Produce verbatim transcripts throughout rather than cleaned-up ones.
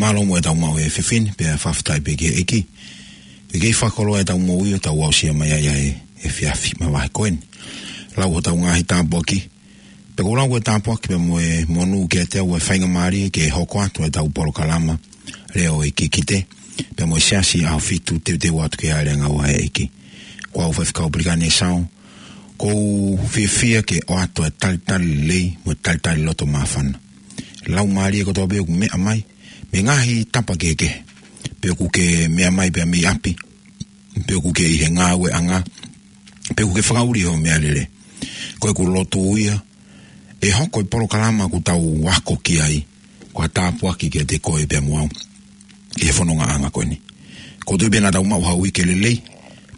ʻAlo mo ʻetau maʻu e efiafi ni, pea fakafetaʻi pē ki he ʻEiki. ʻEiki fakakoloa ʻetau moʻui ʻo tau aʻusia mai ai ʻa e efiafi mavahe ko eni. Lau hotau ngaahi tāpuaki. Pea ʻoku ou lau e tāpuaki pea mo e monū kiate au e faingamālie ke hoko atu ʻetau polokalama Lea ʻo e Kikite, pea mo e Siasi ʻAhofitu Teuteu Atu ki he Ngāue ʻa e ʻEiki. Ko au Faifekau Pelikani Esau, ʻoku ou fiefia ke ʻoatu e talitali lelei mo e talitali loto māfana. Laumālie kotoa pē ʻoku meʻa mai mei he ngaahi tapa kehekehe, pe ʻoku ke meʻa mai pē mei ʻapi, pe ʻoku ke ʻi he ngāueʻanga, pe ʻoku ke fakaʻuli hoʻo meʻalele. Ko ʻeku lotu ia, ʻe hoko e polokalama ʻoku tau ako ki ai, ko ha tāpuaki kiate koe pea mo au ʻi he fonongaʻanga ko eni. ʻOku ou tui pē naʻa tau maʻu ha uike lelei,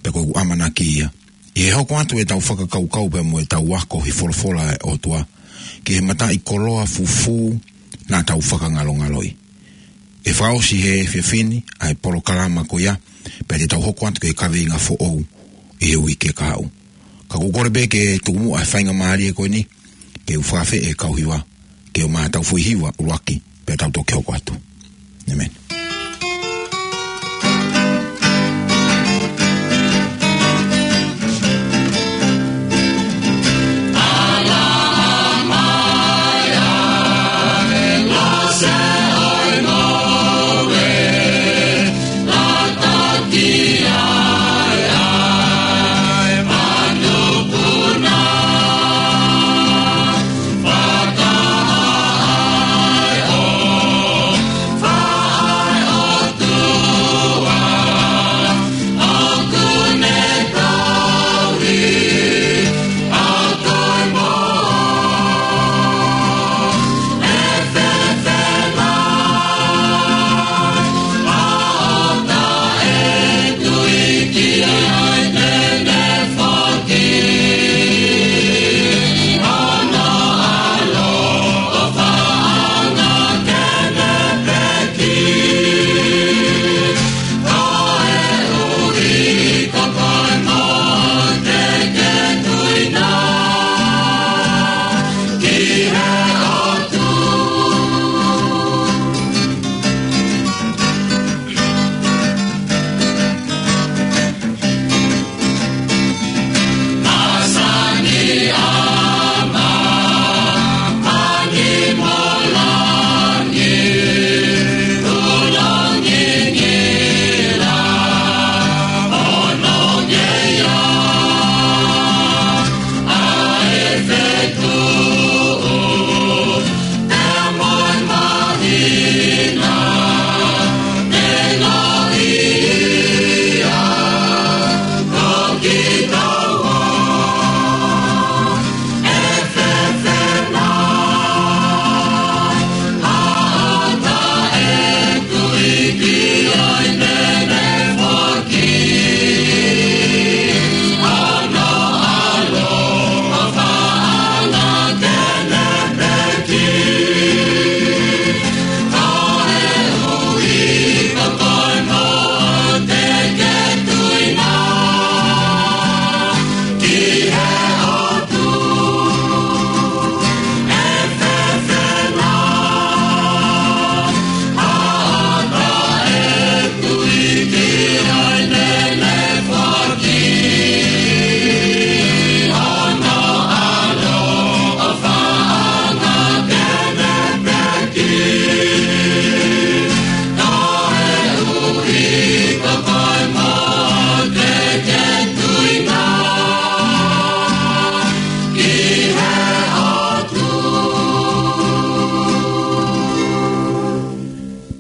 pea ko ʻeku ʻamanaki ia, ʻi he hoko atu ʻetau fakakaukau pea mo ʻetau ako he folofola ʻa e ʻOtua ki he mataʻikoloa fufū naʻa tau fakangalongaloʻi. ʻE fakaʻosi he efiafi ni ʻa e polokalama ko ia, pea te tau hoko atu ki he kaveinga foʻou ʻi he uike kahaʻu. Ka ʻoku ou kole pē ke tuku muʻa e faingamālie ko eni ke u fakafeʻiloaki e kau hiva, ke ʻomai haʻatau foʻi hiva ʻuluaki, pea tau toki hoko atu. ʻĒmeni.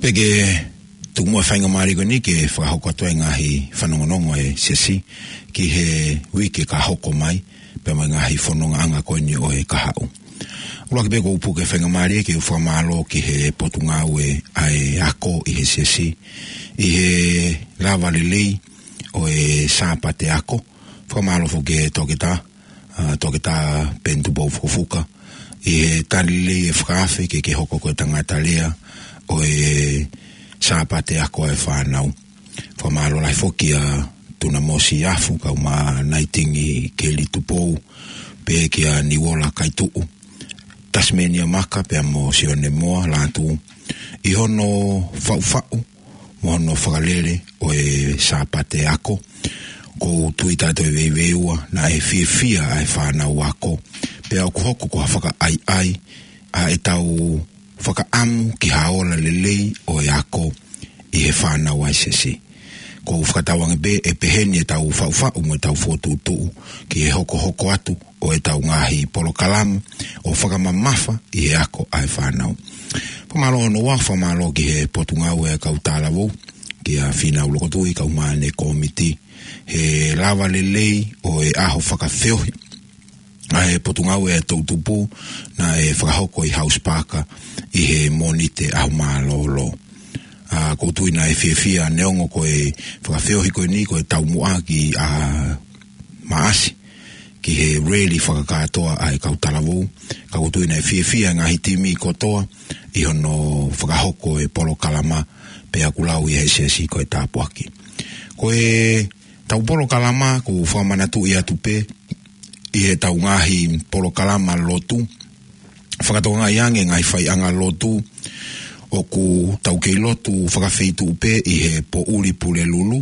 Pea ke tuku muʻa e faingamālie ko eni ke fakahoko atu e ngaahi fanongonongo ʻa e Siasi ki he uike ka hoko mai, pea mo e ngaahi fonongaʻanga ko eni ʻo e kahaʻu. ʻUluaki pē ʻoku ou puke e faingamālie ke u fakamālō ki he Potungāue ʻa e Ako ʻi he Siasi, ʻi he lava lelei ʻo e Sāpate Ako. Fakamālō foki ki he toketā, ʻa, Toketā Peni Tupou Fukofuka, ʻi he tali lelei e fakaafe ke ke hoko ko e tangata lea ʻo e Sāpate Ako ʻa e fānau. Fakamālō lahi foki kia Tuna Mosi Afu, kae ʻumaʻā Naitingi Keli Tupou, pea kia Niuola Kaituʻu, Tasimenia Maka pea mo Sione Moa Lātū ʻi hono faʻufaʻu mo hono fakalele ʻo e Sāpate ako. ʻOku ou tui taʻe toe veiveiua naʻe fiefia ʻa e fānau ako, pea ʻoku hoko ko ha fakaʻaiʻai ʻa ʻetau fakaʻamu ki ha ola lelei ʻo e ako ʻi he fānau ʻa e siasi. ʻOku ou fakatauange pē ʻe peheni ʻetau faʻufaʻu mo ʻetau fokotuʻutuʻu ki he hokohoko atu ʻo ʻetau ngaahi polokalama ʻo fakamamafa ʻi he ako ʻa e fānau. Fakamālō hono ua, fakamālō ki he Potungāue ʻa e Kau Talavou, kia Fīnau Lokotui, kau māʻane kōmiti, he lava lelei ʻo e ʻaho fakafeohi ʻa e Potungāue ʻa e Toʻutupu naʻe fakahoko ʻi House Park ʻi he Mōnite ʻaho mālōlō. ʻA, ʻoku ou tui naʻe fiefia, neongo ko e fakafeohi ko eni ko e taumuʻa ki ʻaho Maʻasi ki he rally fakakātoa ʻa e Kau Talavou, ka ʻoku ou tui naʻe fiefia e ngaahi timi kotoa ʻi hono fakahoko e polokalama, pea ʻoku lau ʻe he siasi ko e tāpuaki. Ko ʻetau polokalama ʻoku fakamanatuʻi atu pē ʻi heʻetau ngaahi polokalama lotu, fakatokangaʻi ange ngaahi faiʻanga lotu, ʻoku tau kei lotu fakafeituʻu pē ʻi he poʻuli Pulelulu,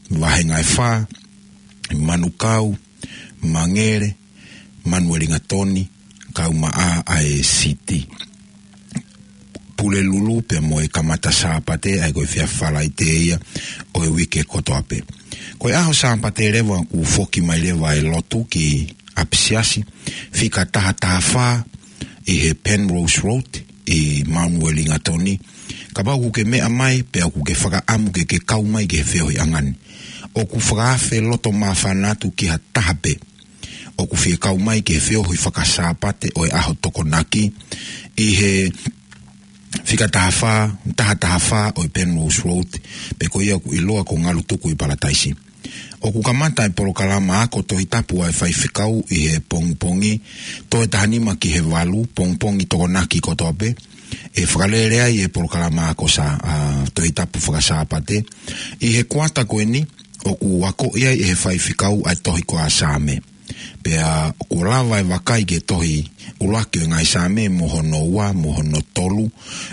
vahenga ʻe fā, Manukau, Mangele, Manuelingatoni, kaumaʻā ʻa e Siti. Pulelulu pea mo e kamata Sāpate, ʻa ia ko e efiafi Falaite ia ʻo e uike kotoa pē. Ko e ʻaho Sāpate leva ʻoku foki mai leva e lotu ki ʻapisiasi, fika taha taha fā ʻi he Penrose Road ʻi Manuelingatoni. Kapau ʻoku ke meʻa mai pea ʻoku ke fakaʻamu ke ke kau mai ki he feohiʻanga ni, ʻoku fakaafe loto māfana atu ki ha taha pē ʻoku fie kau mai ki he feohi faka-Sāpate ʻo e ʻaho Tokonaki ʻi he fika taha fā, taha taha fā ʻo e Penrose Road, pea ko ia ʻoku ʻiloa ko Ngalutuku ʻi Palataisi. ʻOku kamata e polokalama ako Tohi Tapu ʻa e faifekau ʻi he pongipongi, toe taha nima ki he valu, pongipongi Tokonaki kotoa pē, ʻe fakalele ai e polokalama ako sa, ʻa, Tohi Tapu faka-Sāpate. ʻI he kuata ko eni, ʻoku akoʻi ai ʻe he faifekau ʻa e tohi ko e Saame. Pea ʻoku lava e vakai ki he tohi ʻuluaki ʻo e ngaahi Saame, mo hono ua, mo hono tolu,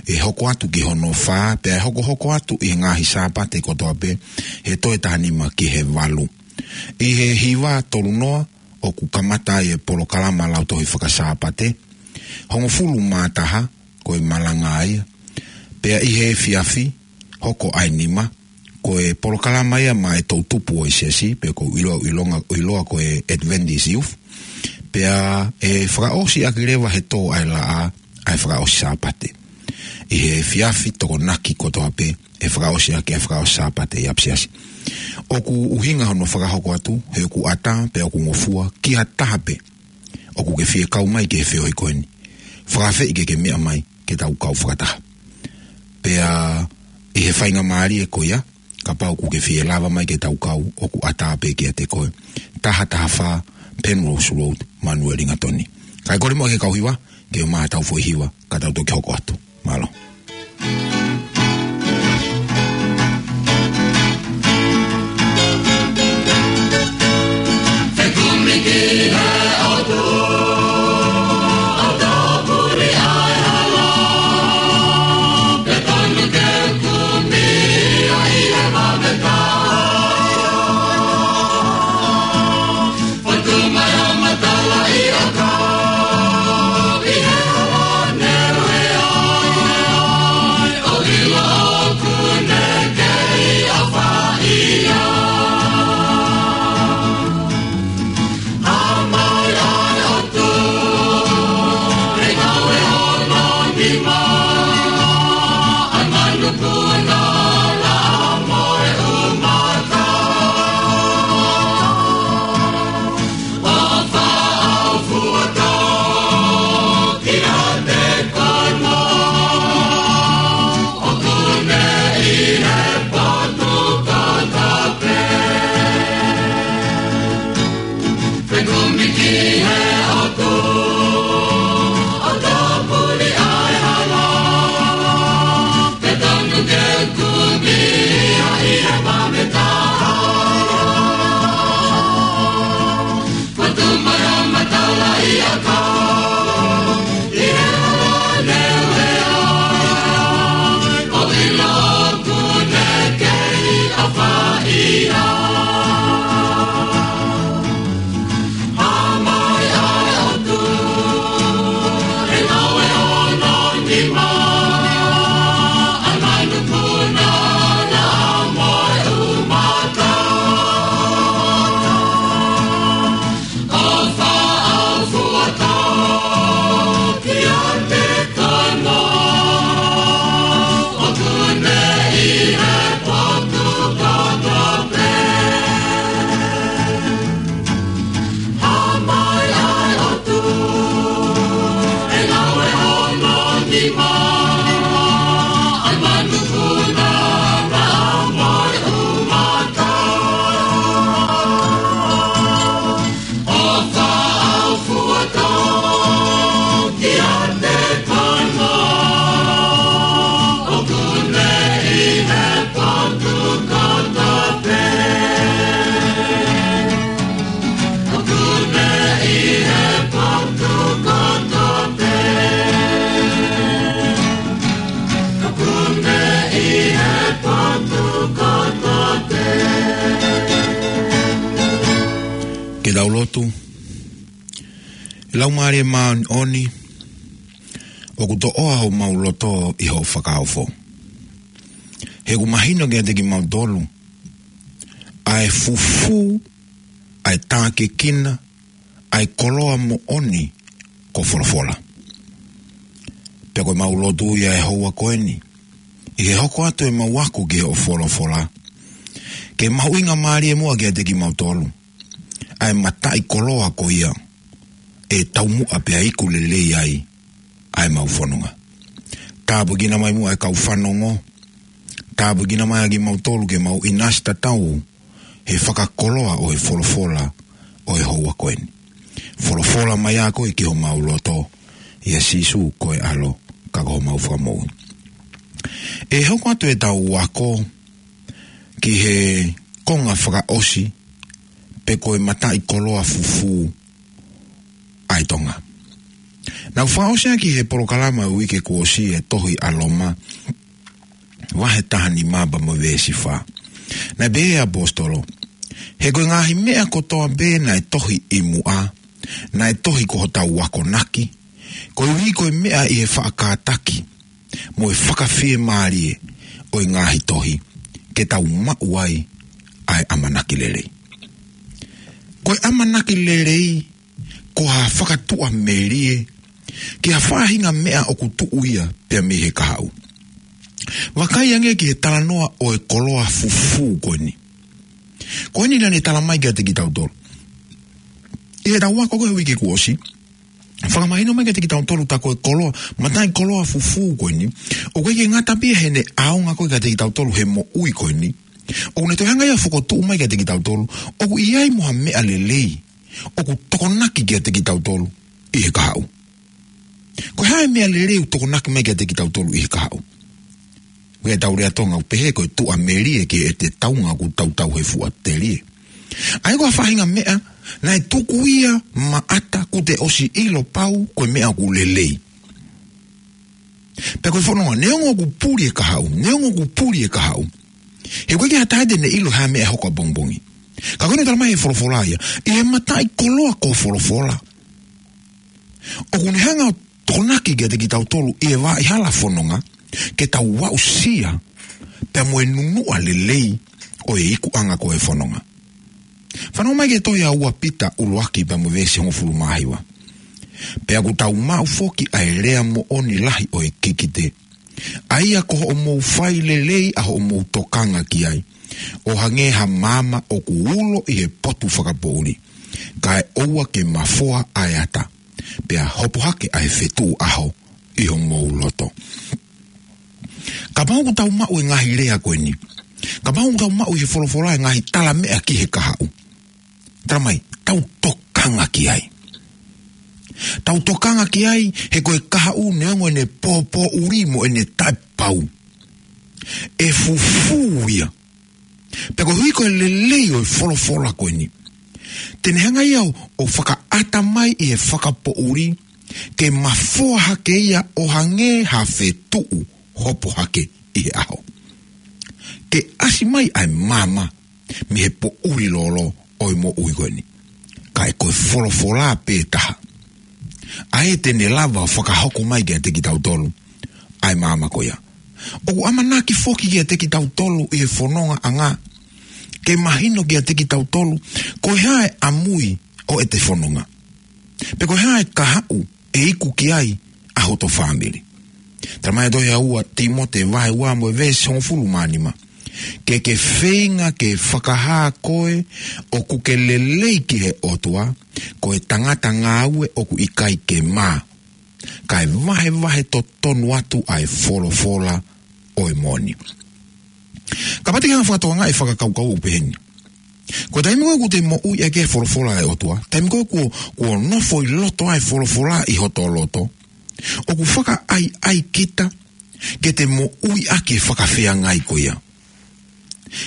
ʻe hoko atu ki hono fā, pea ʻe hokohoko atu ʻi he ngaahi Sāpate kotoa pē, he toe taha nima ki he valu. ʻI he hiva tolu noa, ʻoku kamata ai e polokalama lautohi faka-Sāpate, hongofulu mā taha, ko e malanga ia. Pea ʻi he efiafi, hoko ʻa e nima, ko e polokalama ia maʻa e toʻutupu ʻo e siasi, pe ʻoku ʻiloa, ʻiloa, ʻiloa ko e Adventist Youth. Pea ʻe fakaʻosi ʻaki leva he tō ʻa e laʻā, ʻa e fakaʻosi Sāpate. ʻI he efiafi Tokonaki kotoa pē, ʻe fakaʻosi ʻaki ʻa e fakaʻosi Sāpate ʻi ʻapisiasi. ʻOku ʻuhinga hono fakahoko atu, he ʻoku ʻatā, pea ʻoku ngofua, ki ha taha pē ʻoku ke fie kau mai ki he feohi ko eni, fakaafeʻi ke ke meʻa mai ke tau kau fakataha. Pea ʻi he faingamālie ko ia, kapau ʻoku ke fie lava mai ke tau kau, ʻoku ʻatā pē kiate koe. Taha taha fā Penrose Road, Manuelingatoni. Kae kole muʻa ki he kau hiva ke ʻomai haʻatau foʻi hiva, ka tau toki hoko atu. Mālō. Tau lotu. Laumālie Māʻoniʻoni, ʻoku toʻoa homau loto ʻi hoʻo fakaofo. He ʻoku mahino kiate kimautolu ʻa e fufū, ʻa e tākiekina, ʻa e koloa moʻoni ko e folofola. Pea ko ʻemau lotu ia he houa ko eni, ʻi he hoko atu ʻemau ako ki hoʻo folofola, ke mahuʻingamālie muʻa kiate kimautolu ʻa e mataʻikoloa ko ia ʻe taumuʻa pea iku lelei ai ʻa ʻemau fononga. Tāpuekina mai muʻa e kau fanongo. Tāpuekina mai ʻa kimautolu ke mau ʻinasi tatau he fakakoloa ʻo e folofola ʻo e houa ko eni. Folofola mai ʻa koe ki homau loto, ʻia Sīsū ko e ʻAlo ka ko homau Fakamoʻui. ʻE hoko atu ʻetau ako ki he konga fakaʻosi, pe ko e mataʻikoloa fufū ʻa e Tonga. Naʻa ku fakaʻosi ʻaki he polokalama uike kuo ʻosi e tohi ʻa Loma, vahe taha nima pea mo e veesi fā. Naʻe pehē ʻe he ʻaposetolo: He ko e ngaahi meʻa kotoa pē naʻe tohi ʻi muʻa, naʻe tohi ko hotau akonaki, koeʻuhi ko e meʻa ʻi he faʻa kātaki mo e fakafiemālie ʻo e ngaahi tohi, ke tau maʻu ai ʻa e ʻamanaki lelei. Ko e ʻamanaki lelei ko ha fakatuʻamelie ki ha faʻahinga meʻa ʻoku tuʻu ia pea mei he kahaʻu. Vakai ange ki he talanoa ʻo e koloa fufū ko eni. Ko eni naʻa ne tala mai kiate kitautolu ʻi heʻetau ako ko ē uike kuo ʻosi, fakamahino mai kiate kitautolu tā ko e koloa, mataʻikoloa fufū ko eni, ʻoku ʻikai ke ngata pē ia heʻene ʻaonga ko ē kiate kitautolu he moʻui ko eni, ʻoku ne toe hanga ia ʻo fokotuʻu mai kiate kitautolu ʻoku ʻi ai mo ha meʻa lelei ʻoku tokonaki kiate kitautolu ʻi he kahaʻu. Ko e hā e meʻa lelei ʻoku tokonaki mai kiate kitautolu ʻi he kahaʻu? Ko e tau lea Tonga ʻoku pehē ko e tuʻamelie ki heʻete taunga ʻoku tautau he fuʻa telie. ʻA ia ko ha faʻahinga meʻa naʻe tuku ia maʻata, kuo te ʻosi ʻilo pau ko e meʻa ʻoku lelei. Pea ko e fononga, neongo ʻoku puli e kahaʻu, neongo ʻoku puli e kahaʻu, he ʻoku ʻikai ke ʻi ai ha taha te ne ʻilo ha meʻa ʻe hoko ʻapongipongi. Ka ko eni tala mai he folofola ia, ʻi he mataʻikoloa ko e folofola, ʻoku ne hanga ʻo tokonaki kiate kitautolu ʻi he vaʻa hala fononga, ke tau aʻusia pea mo e nunuʻa lelei ʻo e ikuʻanga ko e fononga. Fanongo mai ki he tohi ʻa ua Pita ʻuluaki pea mo e veesi hongofulu mā hiva: Pea ʻoku tau maʻu foki ʻa e lea moʻoni lahi ʻo e kikite, ʻa ia ko hoʻomou fai lelei ʻa hoʻomou tokanga ki ai, ʻo hangē ha maama ʻoku ulo ʻi he potu fakapoʻuli, kae ʻoua ke mafoa ʻa e ata, pea hopo hake ʻa e fetuʻu ʻaho ʻi homou loto. Kapau ʻoku tau maʻu e ngaahi lea ko eni, kapau ʻoku tau maʻu ʻi he folofola e ngaahi tala meʻa ki he kahaʻu, tala mai, tau tokanga ki ai. Tau tokanga ki ai, he ko e kahaʻu neongo ʻene pōpōʻuli mo ʻene taʻepau, ʻe fufū ia. Pea koeʻuhi ko e lelei ʻo e folofola ko eni, te ne hanga ia ʻo, ʻo fakaʻata mai ʻi he fakapoʻuli, ke mafoa hake ia ʻo hangē ha fetuʻu hopo hake ʻi he ʻaho, ke ʻasi mai ʻa e maama mei he poʻuli lōlō ʻo e moʻui ko eni. Kae ko e folofola pē taha ʻa ē te ne lava ʻo fakahoko mai kiate kitautolu ʻa e maama ko ia. ʻOku ʻamanaki foki kiate kitautolu ʻi he fonongaʻanga, ke mahino kiate kitautolu ko e hā e ʻamui ʻo ʻete fononga, pe ko e hā e kahaʻu ʻe iku ki ai ʻa hoto fāmili. Tala mai ʻe he tohi ʻa ua Tīmote vahe ua mo e veesi hongofulu mā nima: Ke ke feinga ke fakahā koe ʻoku ke lelei ki he ʻOtua, ko e tangata ngāue ʻoku ʻikai ke mā, kae vahevahe totonu atu ʻa e folofola ʻo e moʻoni. Kapau te ke hanga ʻo fakatokangaʻi e fakakaukau ʻoku peheni, ko e taimi ko ē ʻoku te moʻui ʻaki e folofola ʻa e ʻOtua, taimi ko ē kuo, kuo nofo ʻi loto ʻa e folofola ʻi hoto loto, ʻoku fakaʻaiʻai kita ke te moʻui ʻaki e fakafeangai ko ia.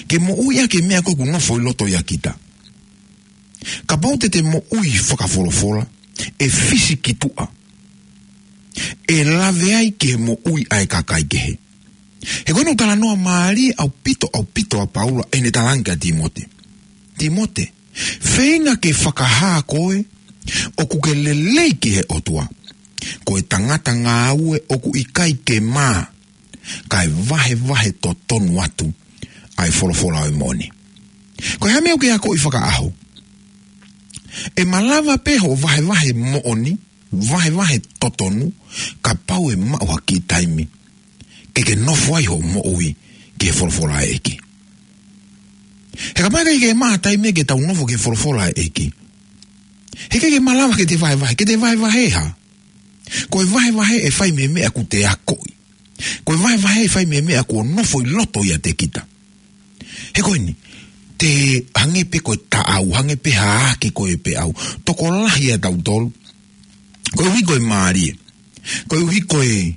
Ke moʻui ʻaki e meʻa ko ē ʻoku nofo ʻi loto ʻia kita. Kapau te te moʻui fakafolofola, ʻe fisi ki tuʻa, ʻe lave ai ki he moʻui ʻa e kakai kehe. He ko eni ʻoku talanoa mālie ʻaupito, ʻaupito ʻa Paula ʻi heʻene talaange kia Tīmote: Tīmote, Feinga ke fakahā koe ʻoku ke lelei ki he ʻOtua. Ko e tangata ngāue ʻoku ʻikai ke mā, kae vahevahe totonu atu ʻa e folofola ʻo e moʻoni. Ko e hā e meʻa ʻoku ke akoʻi fakaʻaho? ʻE malava pē hoʻo vahevahe moʻoni, vahevahe totonu, kapau ʻe maʻu ha kiʻi taimi ke ke nofo ai hoʻo moʻui ki he folofola ʻa e ʻEiki. He kapau ʻe ʻikai ke maʻu ha taimi ke tau nofo ki he folofola ʻa e ʻEiki, he ʻikai ke malava ke te vahevahe, ke te vahevahe hā? Ko e vahevahe ʻe fai mei he meʻa ʻoku te akoʻi. Ko e vahevahe ʻe fai mei he meʻa ʻoku nofo ʻi loto ʻiate kita. He ko eni, te hangē pē ko e taʻau, hangē pē ha ʻaʻake ko ē pē ʻaʻau. Tokolahi ʻa tautolu, koeʻuhi ko e mālie, koeʻuhi ko e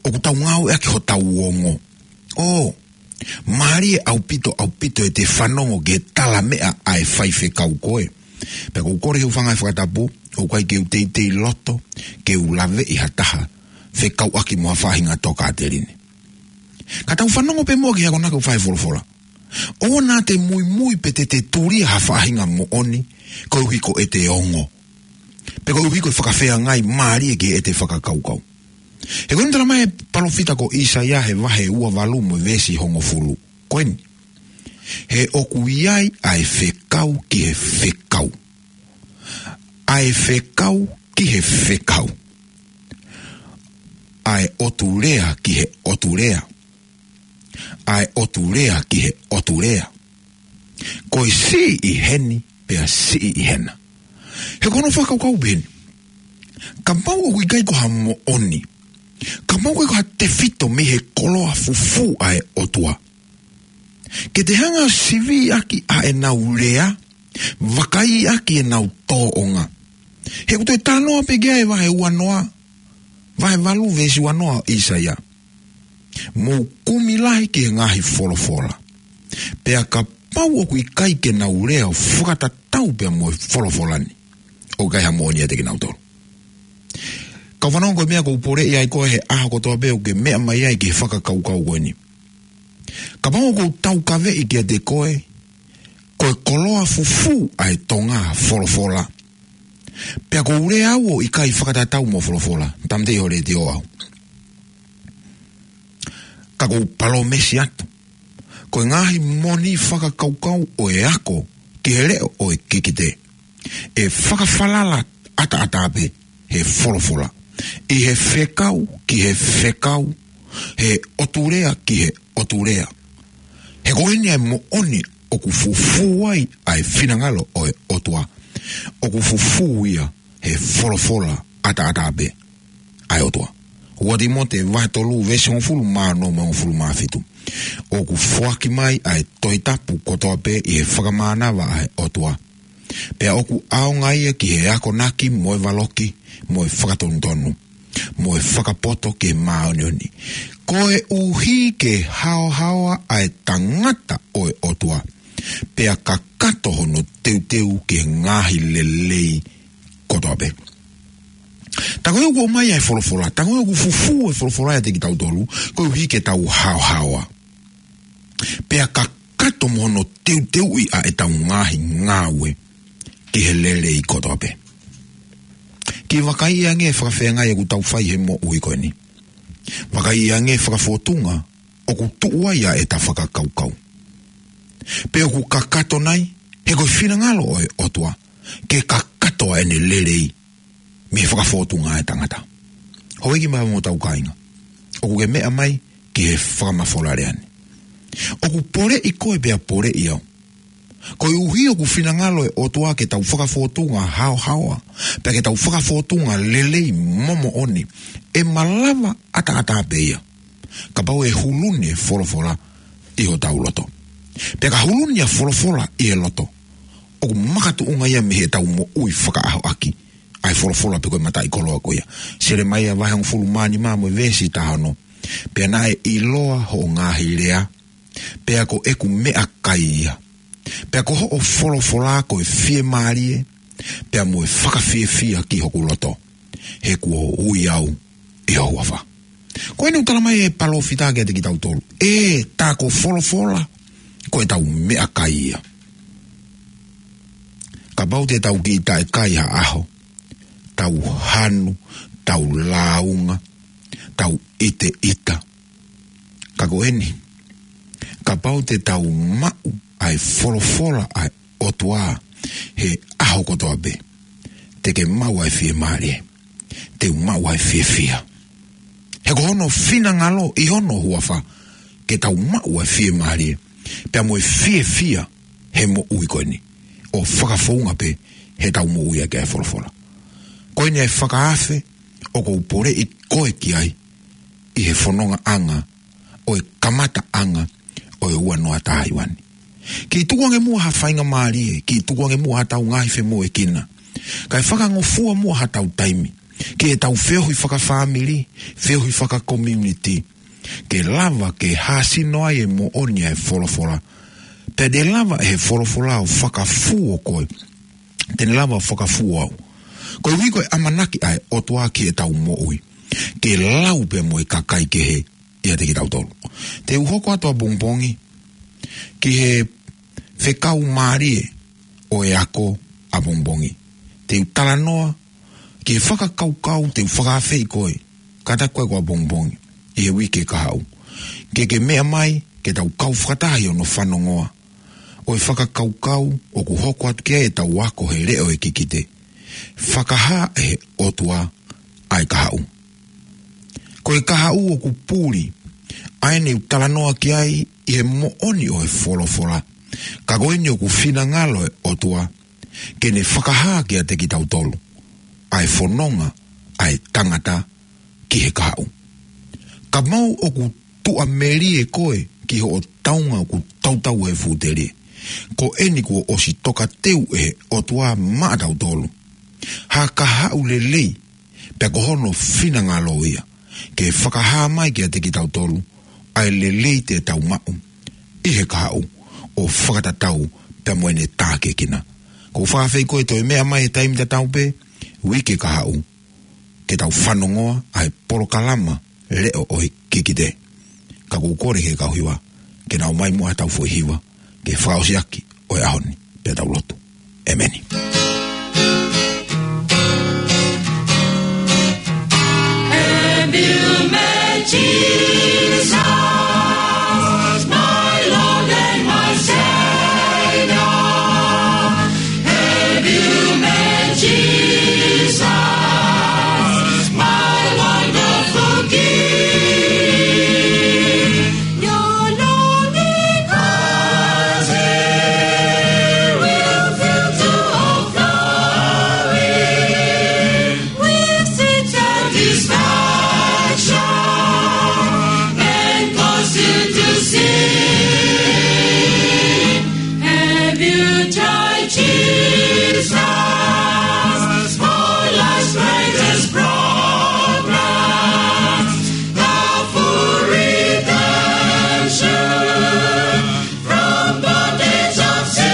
ʻoku tau ngāueʻaki hotau ongo. ʻO mālie ʻaupito, ʻaupito ʻete fanongo ki he tala meʻa ʻa e faifekau ko ē. Pea ʻoku ou kole he ʻoku ou fanga e fakatapu, ʻoku ʻikai ke u teitei loto ke u laveʻi ha taha fekauʻaki mo ha faʻahinga tokāteline. Ka tau fanongo pē muʻa ki he akonaki ʻoku fai ʻe he folofola. ʻOua naʻa te muimui pe te te tulia ha faʻahinga moʻoni koeʻuhi ko ʻete ongo, pe koeʻuhi ko e fakafeangai mālie ki heʻete fakakaukau. He ko eni talamai ʻe he palōfita ko ʻĪsaia he vahe ua valu mo e veesi hongofulu. Ko eni. He ʻoku ʻi ai ʻa e fekau ki he fekau, ʻa e fekau ki he fekau, ʻa e ʻotu lea ki he ʻotu lea, ʻa e ʻotu lea ki he ʻotu lea. Ko e siʻi ʻi heni, pea siʻi ʻi hena. He ko hono fakakaukau pē eni. Kapau ʻoku ʻikai ko ha moʻoni, kapau ʻoku ʻikai ko ha tefito mei he koloa fufū ʻa e ʻOtua, ke te hanga ʻo siviʻaki ʻa ʻenau lea, vakaiʻaki ʻenau tōʻonga. He ʻoku toe talanoa pē ki ai e vahe ua noa, vahe valu veesi ua noa ʻo ʻĪsaia. Mou kumi lahi ki he ngaahi folofola. Pea kapau ʻoku ʻikai ke nau lea ʻo fakatatau pea mo e folofola ni, ʻoku ʻikai ha moʻoni ʻiate kinautolu. Kau fanongo, ko e meʻa ʻoku ou poleʻi ai koe he ʻaho kotoa pē ʻoku ke meʻa mai ai ki he fakakaukau ko eni. Kapau ʻoku ou taukaveʻi kiate koe ko e koloa fufū ʻa e Tonga folofola, pea ʻoku ou lea au ʻo ʻikai fakatatau mo folofola, tāmateʻi hoʻo letiō au. Ka ʻoku ou palōmesi atu, ko e ngaahi moʻoni fakakaukau ʻo e ako ki he leʻo ʻo e kikite, ʻe fakafalala ʻataʻatā pē he folofola, ʻi he fekau ki he fekau, he ʻotu lea ki he ʻotu lea. He ko eni ʻa e moʻoni ʻoku fufū ai ʻa e finangalo ʻo e ʻOtua. ʻOku fufū ia he folofola ʻataʻatā pē ʻa e ʻOtua. Ua Tīmote vahe tolu veesi hongofulu mā ono mo e hongofulu mā fitu. ʻOku foaki mai ʻa e Tohi Tapu kotoa pē ʻi he fakamānava ʻa e ʻOtua, pea ʻoku ʻaonga ia ki he akonaki mo e valoki mo e fakatonutonu, mo e fakapoto ki he māʻoniʻoni, koeʻuhi ke haohaoa ʻa e tangata ʻo e ʻOtua, pea kakato hono teuteu ki he ngaahi lelei kotoa pē. Tā ko ē ʻoku ʻomai ʻa e folofola, tā ko ē ʻoku fufū e folofola ʻiate kitautolu, koeʻuhi ke tau haohaoa, pea kakato mo hono teuteuʻi ʻa ʻetau ngaahi ngāue ki he lelei kotoa pē. Kiʻi vakaiʻi ange e fakafeangai ʻoku tau fai he moʻui ko eni. Vakaiʻi ange e fakafōtunga ʻoku tuʻu ai ʻa ʻeta fakakaukau. Pe ʻoku kakato nai, he ko e finangalo ʻo e ʻOtua ke kakato ʻa ʻene lelei mei he fakafōtunga ʻa e tangata. Houʻeiki mo hotau kāinga, ʻoku ke meʻa mai ki he fakamafola lea ni. ʻOku poleʻi koe pea poleʻi au. Koeʻuhi ʻoku finangalo e ʻOtua ke tau fakafōtunga haohaoa, pea ke tau fakafōtunga lelei mo moʻoni, ʻe malava ʻataʻatā pē ia kapau ʻe huluni e folofola ʻi hotau loto. Pea ka huluni ʻa e folofola ʻi he loto, ʻoku makatuʻunga ia mei heʻetau moʻui fakaʻahoʻaki ʻa e folofola pe ko e mataʻikoloa ko ia. Selemaia vahe hongofulu mā nima mo e veesi taha ono. Pea naʻe ʻiloa hoʻo ngaahi lea, pea ko ʻeku meʻakai ia. Pea ko hoʻo folofola ko e fiemālie, pea mo e fakafiefia ki hoku loto. He kuo ui au ʻi ho huafa. Ko eni ʻoku talamai ʻe he palōfita kiate kitautolu, ʻe, tā ko e folofola ko ʻetau meʻakai ia. Kapau te tau kiʻi taʻekai ha ʻaho, tau hanu, tau lāunga, tau ʻiteʻita. Ka ko eni, kapau te tau maʻu ʻa e folofola ʻa e ʻOtua he ʻaho kotoa pē, te ke maʻu ʻa e fiemālie, te u maʻu ʻa e fiefia. He ko hono finangalo ʻi hono huafa ke tau maʻu ʻa e fiemālie pea mo e fiefia he moʻui ko eni, ʻo fakafounga pē heʻetau moʻui ʻaki ʻa e folofola. Ko eni ʻa e fakaafe ʻoku ou poleʻi koe ki ai ʻi he fonongaʻanga ʻo e kamataʻanga ʻo e ua noa taha hiva ni. Kiʻi tukuange muʻa ha faingamālie, kiʻi tukuange muʻa haʻatau ngaahi femoʻuekina, kae fakangofua muʻa haʻatau taimi ki heʻetau feohi fakafāmili, feohi fakakomiunitī, ke lava ke hāsino ai e moʻoni ʻa e folofola. Pea te lava ʻe he folofola ʻo fakafū ʻa koe, te ne lava ʻo fakafū au. Koeʻuhi ko e ʻamanaki ʻa e ʻOtua ki heʻetau moʻui, ke lau pea mo e kakai kehe ʻiate kitautolu. Te u hoko atu ʻapongipongi ki he fekau mālie ʻo e ako ʻapongipongi. Te u talanoa ki he fakakaukau te u fakaafeʻi koe, kātaki koe ko ʻapongipongi ʻi he uike kahaʻu, ke ke meʻa mai ke tau kau fakataha ʻi hono fanongoa ʻo e fakakaukau ʻoku hoko atu ki ai ʻetau ako he leʻo ʻo e kikite. Fakahā ʻe he ʻOtua ʻa e kahaʻu. Ko e kahaʻu ʻoku puli, ʻa eni ʻoku talanoa ki ai ʻi he moʻoni ʻo e folofola. Ka ko eni ʻoku finangalo e ʻOtua ke ne fakahā kiate kitautolu ʻa e fononga ʻa e tangata ki he kahaʻu. Kapau ʻoku tuʻamelie koe ki hoʻo taunga ʻoku tautau he fuʻu telie, ko eni kuo ʻosi tokateu ʻe he ʻOtua maʻatautolu ha kahaʻu lelei, pea ko hono finangalo ia ke fakahā mai kiate kitautolu ʻa e lelei te tau maʻu ʻi he kahaʻu ʻo fakatatau pea mo ʻene tākiekina. ʻOku ou fakaafeʻi koe toe meʻa mai he taimi tatau pē uike kahaʻu, ke tau fanongoa ʻa e polokalama leʻo ʻo e kikite. Ka ʻoku ou kole ki he kau hiva ke nau ʻomai muʻa haʻatau foʻi hiva ke fakaʻosi ʻaki ʻo e ʻaho ni, pea tau lotu. ʻEmeni. Have you met Jesus, my Lord and my Savior? Have you met Jesus, my wonderful King? Your longing heart will fill to overflowing with sweet satisfaction and cause you to sing. Have you tried Jesus for life's greatest program? The full redemption from bondage of sin.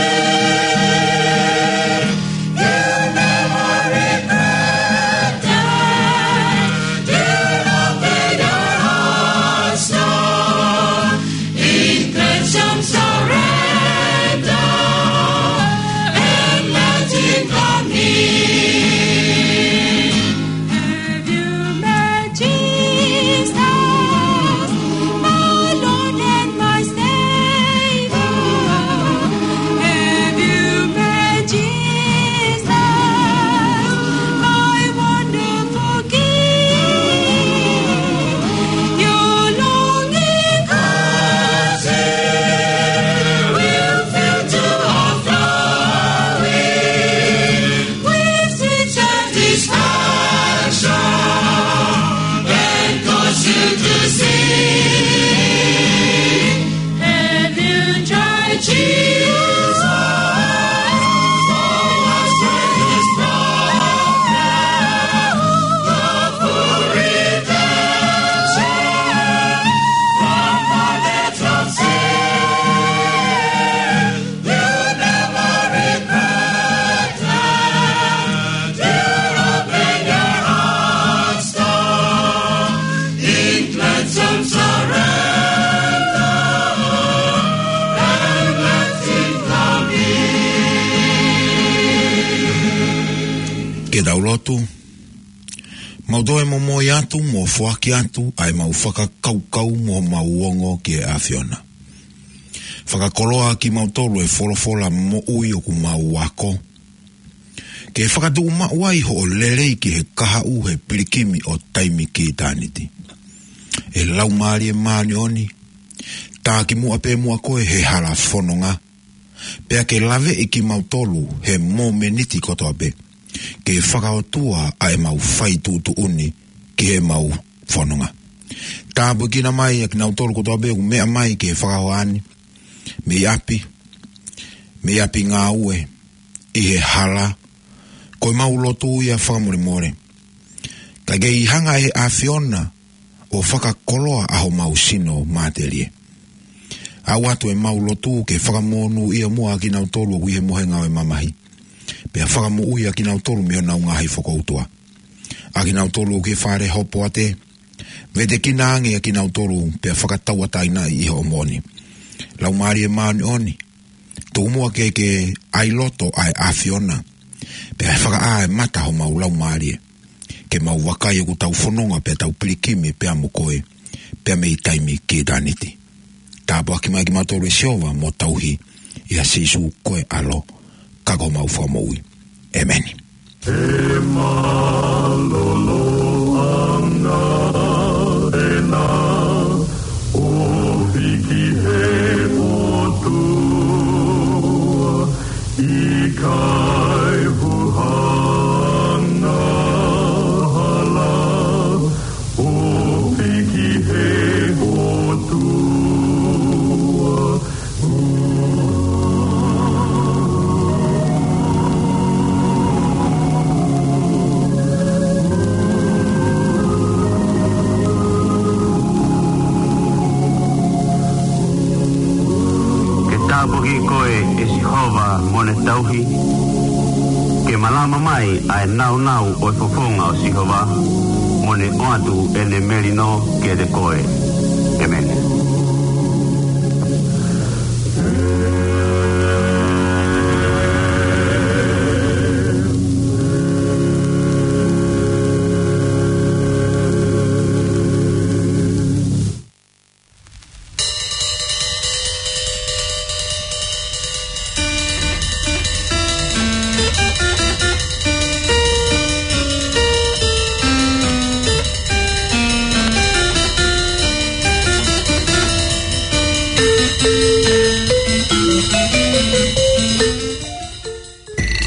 You never regret that. You know that your heart's torn in cleansed surrender and letting go. Tau lotu. Mau toe momoi atu mo foaki atu ʻa e mau fakakaukau mo mau ongo ki he ʻAfiona. Fakakoloa kimautolu ʻe he folofola moʻui ʻoku mau ako, ke fakatuʻumaʻu ai hoʻo lelei ki he kahaʻu he pilikimi ʻo taimi ki ʻitāniti. ʻE Laumālie Māʻoniʻoni, tā kimuʻa pē muʻa koe he hala fononga, pea ke laveʻi kimautolu he momeniti kotoa pē, ke fakaʻotua ʻa e mau fai tuʻutuʻuni ki he mau fononga. Tāpuekina mai ʻa kinautolu kotoa pē ʻoku meʻa mai ki he fakahoa ni, mei ʻapi, mei ʻapi ngāue, ʻi he hala, ko e mau lotu ia fakamolemole. Ka ke ʻi hanga ʻe he ʻAfiona ʻo fakakoloa ʻa homau sino matelie. ʻAu atu ʻemau lotu ke fakamonūʻia muʻa ʻa kinautolu ʻoku ʻi he mohenga ʻo e mamahi, pea fakamoʻui ʻa kinautolu mei honau ngaahi fokoutua. ʻA kinautolu ʻoku ʻi he fale hopoate, vetekina ange ʻa kinautolu pea fakatauʻatāinaʻi ʻi hoʻo moʻoni. Laumālie Māʻoniʻoni, tuku muʻa ke ke ʻai loto ʻa e ʻAfiona, pea fakaʻā e mata homau laumālie, ke mau vakai ʻoku tau fononga pea tau pilikimi pea mo koe, pea mei taimi ki ʻitāniti. Tāpuaki mai kimautolu ʻe Sihova mo tauhi ʻia Sīsū ko e ʻAlo, ka ko homau Fakamoʻui. ʻEmeni. E mālōlō ʻanga ena ʻo fiki he ʻOtua, ʻikai huhanga hala ʻo fiki he ʻOtua. Ke tāpuaki koe ʻe Sihova mo ne tauhi, ke malama mai ʻa e nāunau ʻo e fofonga ʻo Sihova, mo ne ʻoatu ʻene melino kiate koe. ʻEmeni.